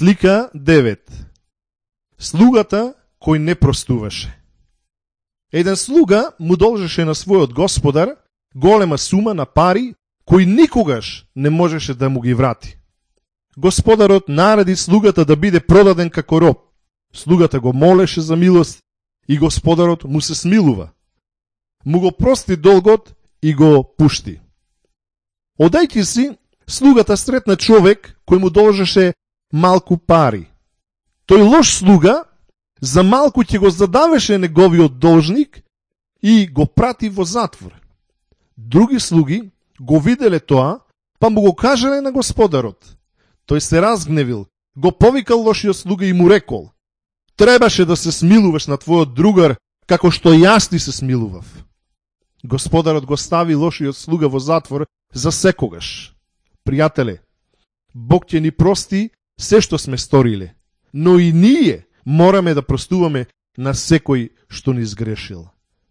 Слика 9. Слугата кој не простуваше. Еден слуга му должеше на својот господар голема сума на пари, кој никогаш не можеше да му ги врати. Господарот нареди слугата да биде продаден како роб. Слугата го молеше за милост и господарот му се смилува. Му го прости долгот и го пушти. Одајќи си, слугата сретна човек кој му должеше малку пари. Тој лош слуга за малку ќе го задавеше неговиот должник и го прати во затвор. Други слуги го виделе тоа, па му го кажале на господарот. Тој се разгневил, го повикал лошиот слуга и му рекол: требаше да се смилуваш на твојот другар, како што јас ти се смилував. Господарот го стави лошиот слуга во затвор за секогаш. Пријателе, Бог ќе ни прости се што сме сториле, но и ние мораме да простуваме на секој што ни сгрешил.